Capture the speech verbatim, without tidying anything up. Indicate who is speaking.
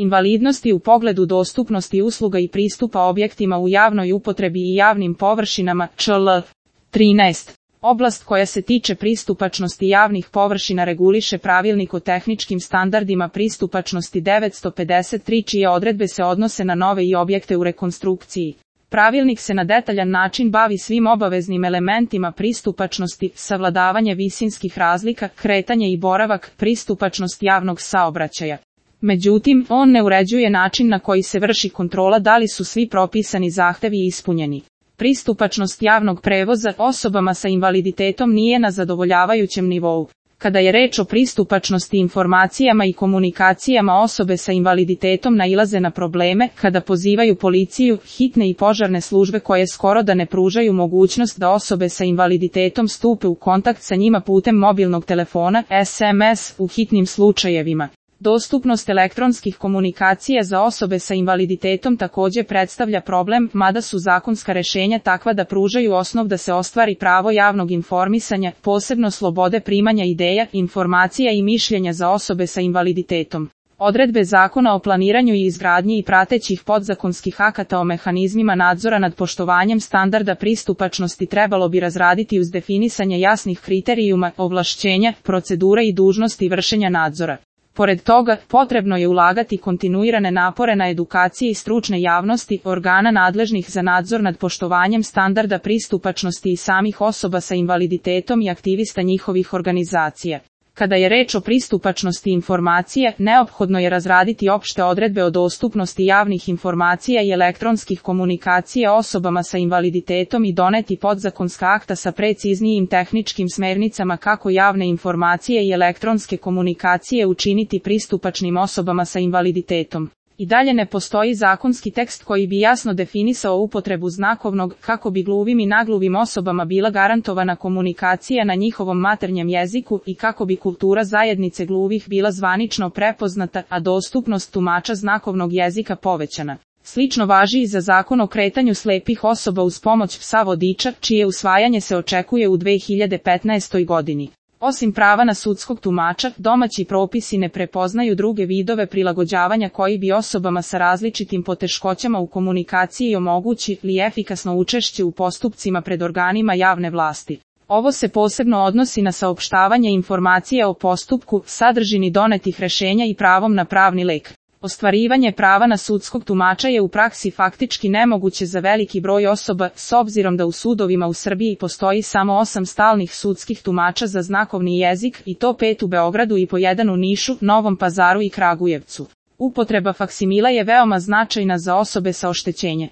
Speaker 1: Invalidnosti u pogledu dostupnosti usluga i pristupa objektima u javnoj upotrebi i javnim površinama, čl. trinaest. Oblast koja se tiče pristupačnosti javnih površina reguliše Pravilnik o tehničkim standardima pristupačnosti devetsto pedeset tri, čije odredbe se odnose na nove i objekte u rekonstrukciji. Pravilnik se na detaljan način bavi svim obaveznim elementima pristupačnosti, savladavanje visinskih razlika, kretanje i boravak, pristupačnost javnog saobraćaja. Međutim, on ne uređuje način na koji se vrši kontrola da li su svi propisani zahtevi ispunjeni. Pristupačnost javnog prevoza osobama sa invaliditetom nije na zadovoljavajućem nivou. Kada je reč o pristupačnosti informacijama i komunikacijama, osobe sa invaliditetom nailaze na probleme kada pozivaju policiju, hitne i požarne službe koje skoro da ne pružaju mogućnost da osobe sa invaliditetom stupe u kontakt sa njima putem mobilnog telefona, es em es, u hitnim slučajevima. Dostupnost elektronskih komunikacija za osobe sa invaliditetom također predstavlja problem, mada su zakonska rješenja takva da pružaju osnov da se ostvari pravo javnog informisanja, posebno slobode primanja ideja, informacija i mišljenja za osobe sa invaliditetom. Odredbe Zakona o planiranju i izgradnji i pratećih podzakonskih akata o mehanizmima nadzora nad poštovanjem standarda pristupačnosti trebalo bi razraditi uz definisanje jasnih kriterijuma, ovlašćenja, procedura i dužnosti vršenja nadzora. Pored toga, potrebno je ulagati kontinuirane napore na edukaciji stručne javnosti, organa nadležnih za nadzor nad poštovanjem standarda pristupačnosti i samih osoba sa invaliditetom i aktivista njihovih organizacija. Kada je reč o pristupačnosti informacija, neophodno je razraditi opšte odredbe o dostupnosti javnih informacija i elektronskih komunikacija osobama sa invaliditetom i doneti podzakonska akta sa preciznijim tehničkim smernicama kako javne informacije i elektronske komunikacije učiniti pristupačnim osobama sa invaliditetom. I dalje ne postoji zakonski tekst koji bi jasno definisao upotrebu znakovnog, kako bi gluvim i nagluvim osobama bila garantovana komunikacija na njihovom maternjem jeziku i kako bi kultura zajednice gluvih bila zvanično prepoznata, a dostupnost tumača znakovnog jezika povećana. Slično važi i za Zakon o kretanju slepih osoba uz pomoć psa vodiča, čije usvajanje se očekuje u dve hiljade petnaestoj godini. Osim prava na sudskog tumača, domaći propisi ne prepoznaju druge vidove prilagođavanja koji bi osobama sa različitim poteškoćama u komunikaciji omogućili efikasno učešće u postupcima pred organima javne vlasti. Ovo se posebno odnosi na saopštavanje informacija o postupku, sadržini donetih rješenja i pravom na pravni lek. Ostvarivanje prava na sudskog tumača je u praksi faktički nemoguće za veliki broj osoba, s obzirom da u sudovima u Srbiji postoji samo osam stalnih sudskih tumača za znakovni jezik, i to pet u Beogradu i po jedan u Nišu, Novom Pazaru i Kragujevcu. Upotreba faksimila je veoma značajna za osobe sa oštećenjem.